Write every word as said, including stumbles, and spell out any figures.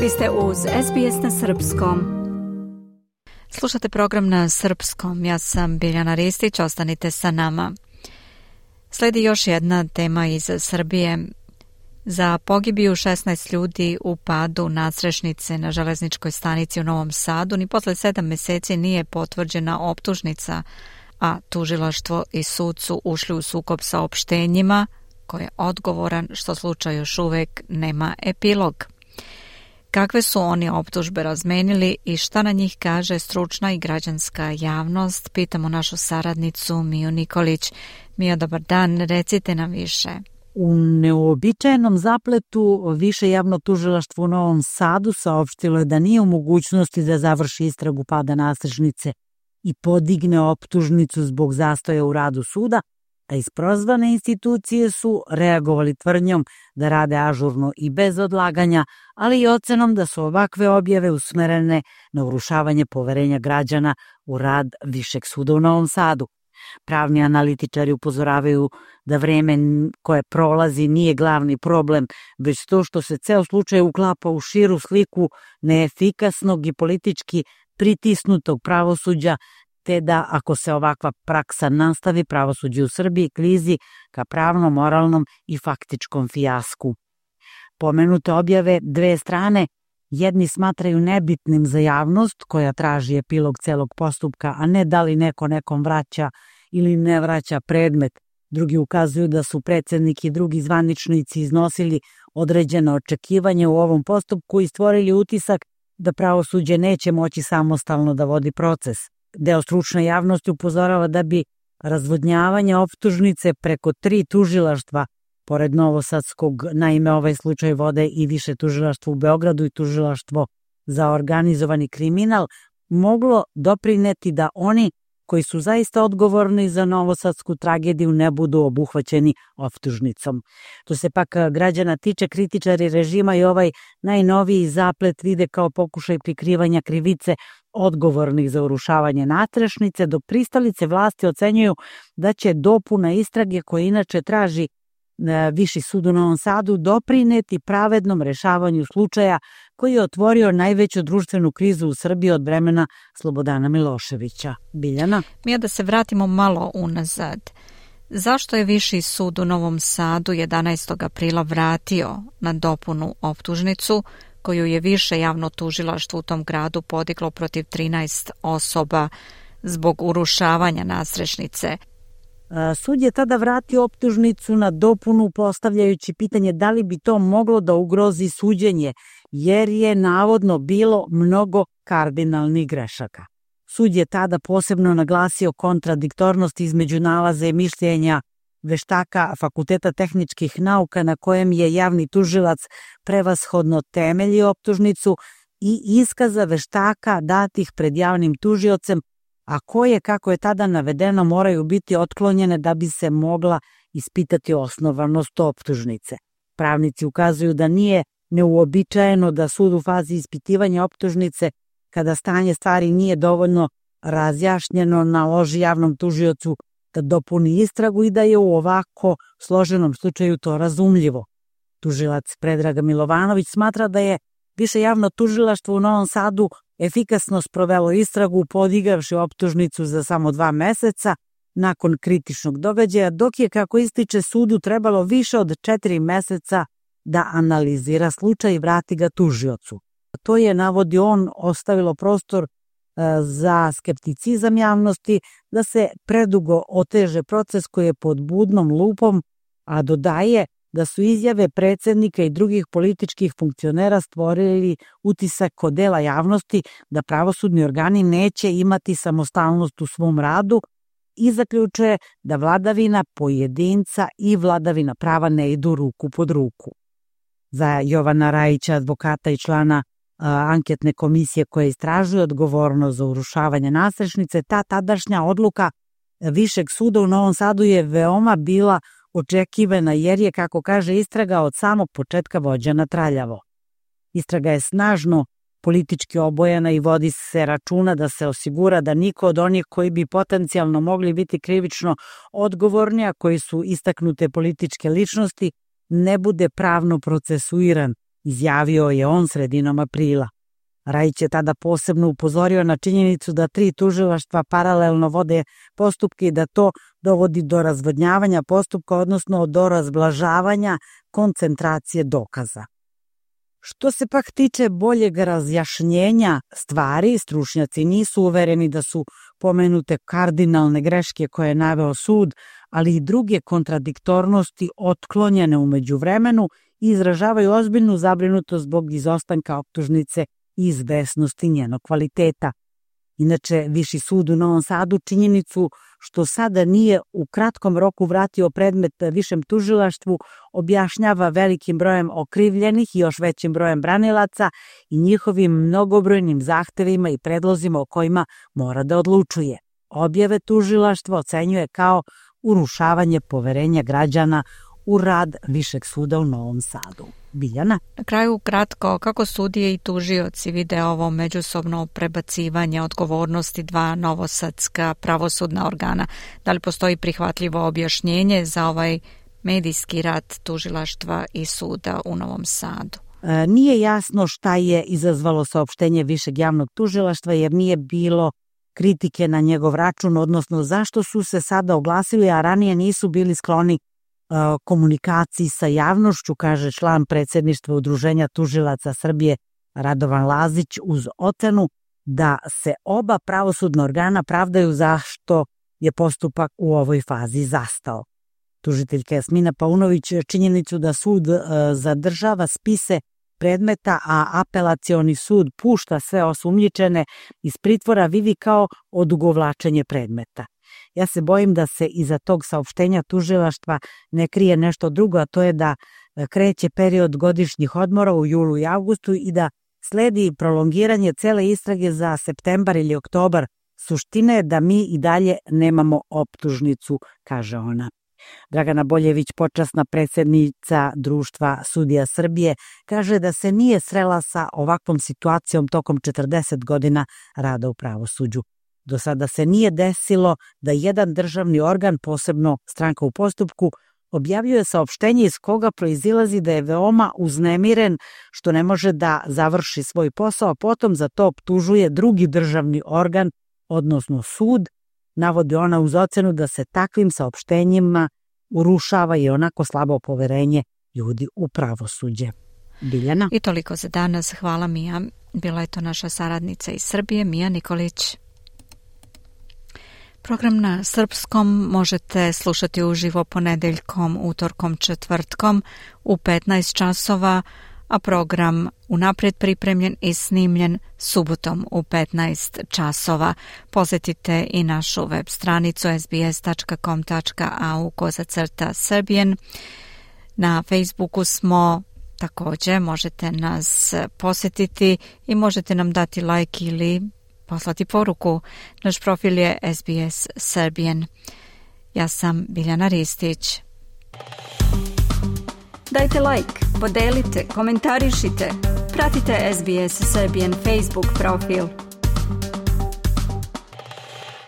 Vi ste uz S B S na srpskom. Slušate program na srpskom. Ja sam Biljana Ristić, ostanite sa nama. Sledi još jedna tema iz Srbije. Za pogibiju šesnaest ljudi u padu nadstrešnice na železničkoj stanici u Novom Sadu ni posle sedam meseci nije potvrđena optužnica, a tužilaštvo i sud su ušli u sukob sa opštenjima ko je odgovoran što slučaj još uvek nema epilog. Kakve su oni optužbe razmenili i šta na njih kaže stručna i građanska javnost, pitamo našu saradnicu Miju Nikolić. Mija, dobar dan, recite nam više. U neuobičajenom zapletu Više javno tužilaštvo u Novom Sadu saopštilo je da nije u mogućnosti da završi istragu pada nadstrešnice i podigne optužnicu zbog zastoja u radu suda, a isprozvane institucije su reagovali tvrdnjom da rade ažurno i bez odlaganja, ali i ocenom da su ovakve objave usmerene na urušavanje poverenja građana u rad Višeg suda u Novom Sadu. Pravni analitičari upozoravaju da vreme koje prolazi nije glavni problem, već to što se ceo slučaj uklapa u širu sliku neefikasnog i politički pritisnutog pravosuđa, te da ako se ovakva praksa nastavi, pravosuđe u Srbiji klizi ka pravnom, moralnom i faktičkom fijasku. Pomenute objave dve strane jedni smatraju nebitnim za javnost koja traži epilog celog postupka, a ne da li neko nekom vraća ili ne vraća predmet. Drugi ukazuju da su predsednik i drugi zvaničnici iznosili određene očekivanje u ovom postupku i stvorili utisak da pravosuđe neće moći samostalno da vodi proces. Deo stručne javnosti upozorava da bi razvodnjavanje optužnice preko tri tužilaštva, pored novosadskog, naime ovaj slučaj vode i Više tužilaštvo u Beogradu i tužilaštvo za organizovani kriminal, moglo doprineti da oni koji su zaista odgovorni za novosadsku tragediju ne budu obuhvaćeni optužnicom. To se pak građana tiče, kritičari režima i ovaj najnoviji zaplet vide kao pokušaj prikrivanja krivice odgovornih za urušavanje nadstrešnice, dok pristalice vlasti ocenjuju da će dopuna istrage koje inače traži Viši sud u Novom Sadu doprineti pravednom rešavanju slučaja koji je otvorio najveću društvenu krizu u Srbiji od vremena Slobodana Miloševića. Biljana? Mija, da se vratimo malo unazad. Zašto je Viši sud u Novom Sadu jedanaestog aprila vratio na dopunu optužnicu koju je Više javno tužilaštvo u tom gradu podiglo protiv trinaest osoba zbog urušavanja nadstrešnice? Sud je tada vratio optužnicu na dopunu postavljajući pitanje da li bi to moglo da ugrozi suđenje, jer je navodno bilo mnogo kardinalnih grešaka. Sud je tada posebno naglasio kontradiktornost između nalaza i mišljenja veštaka Fakulteta tehničkih nauka na kojem je javni tužilac prevashodno temelji optužnicu i iskaza veštaka datih pred javnim tužiocem, a koje, kako je tada navedeno, moraju biti otklonjene da bi se mogla ispitati osnovanost optužnice. Pravnici ukazuju da nije neuobičajeno da sud u fazi ispitivanja optužnice, kada stanje stvari nije dovoljno razjašnjeno, naloži javnom tužiocu da dopuni istragu i da je u ovako složenom slučaju to razumljivo. Tužilac Predrag Milovanović smatra da je Više javno tužilaštvo u Novom Sadu efikasno sprovelo istragu podigavši optužnicu za samo dva meseca nakon kritičnog događaja, dok je, kako ističe, sudu trebalo više od četiri meseca da analizira slučaj i vrati ga tužiocu. To je, navodi on, ostavilo prostor za skepticizam javnosti da se predugo oteže proces koji je pod budnom lupom, a dodaje da su izjave predsednika i drugih političkih funkcionera stvorili utisak kod dela javnosti da pravosudni organi neće imati samostalnost u svom radu i zaključuje da vladavina pojedinca i vladavina prava ne idu ruku pod ruku. Za Jovana Rajića, advokata i člana a, anketne komisije koja istražuje odgovornost za urušavanje nadstrešnice, ta tadašnja odluka Višeg suda u Novom Sadu je veoma bila očekivana jer je, kako kaže, istraga od samog početka vođena traljavo. Istraga je snažno politički obojena i vodi se računa da se osigura da niko od onih koji bi potencijalno mogli biti krivično odgovorni, a koji su istaknute političke ličnosti, ne bude pravno procesuiran, izjavio je on sredinom aprila. Rajić je tada posebno upozorio na činjenicu da tri tužilaštva paralelno vode postupke i da to dovodi do razvodnjavanja postupka, odnosno do razblažavanja koncentracije dokaza. Što se pak tiče boljeg razjašnjenja stvari, stručnjaci nisu uvereni da su pomenute kardinalne greške koje je naveo sud, ali i druge kontradiktornosti otklonjene u međuvremenu i izražavaju ozbiljnu zabrinutost zbog izostanka optužnice i izvesnosti njenog kvaliteta. Inače, Viši sud u Novom Sadu činjenicu što sada nije u kratkom roku vratio predmet Višem tužilaštvu objašnjava velikim brojem okrivljenih i još većim brojem branilaca i njihovim mnogobrojnim zahtevima i predlozima o kojima mora da odlučuje. Objave tužilaštva ocenjuje kao urušavanje poverenja građana u rad Višeg suda u Novom Sadu. Biljana? Na kraju kratko, kako sudije i tužioci vide ovo međusobno prebacivanje odgovornosti dva novosadska pravosudna organa? Da li postoji prihvatljivo objašnjenje za ovaj medijski rad tužilaštva i suda u Novom Sadu? E, nije jasno šta je izazvalo saopštenje Višeg javnog tužilaštva jer nije bilo kritike na njegov račun, odnosno zašto su se sada oglasili, a ranije nisu bili skloni komunikaciji sa javnošću, kaže član predsjedništva Udruženja tužilaca Srbije Radovan Lazić, uz ocenu da se oba pravosudna organa pravdaju zašto je postupak u ovoj fazi zastao. Tužiteljka Jasmina Paunović činjenicu da sud zadržava spise predmeta, a apelacioni sud pušta sve osumnjičene iz pritvora vidi kao odugovlačenje predmeta. Ja se bojim da se iza tog saopštenja tužilaštva ne krije nešto drugo, a to je da kreće period godišnjih odmora u julu i avgustu i da sledi prolongiranje cele istrage za septembar ili oktobar. Suština je da mi i dalje nemamo optužnicu, kaže ona. Dragana Boljević, počasna predsjednica Društva sudija Srbije, kaže da se nije srela sa ovakvom situacijom tokom četrdeset godina rada u pravosuđu. Do sada se nije desilo da jedan državni organ, posebno stranka u postupku, objavljuje saopštenje iz koga proizilazi da je veoma uznemiren što ne može da završi svoj posao, a potom za to optužuje drugi državni organ, odnosno sud, navodi ona uz ocenu da se takvim saopštenjima urušava i onako slabo poverenje ljudi u pravosuđe. Biljana? I toliko za danas. Hvala, Mija. Bila je to naša saradnica iz Srbije, Mija Nikolić. Program na srpskom možete slušati uživo ponedeljkom, utorkom, četvrtkom u petnaest časova, a program unaprijed pripremljen i snimljen subotom u petnaest časova. Posjetite i našu web stranicu es be es tačka com tačka a u kozacrta Serbian. Na Facebooku smo također, možete nas posjetiti i možete nam dati like ili poslati poruku. Naš profil je es be es Serbian. Ja sam Biljana Ristić. Dajte like, podelite, komentarišite. Pratite es be es Serbian Facebook profil.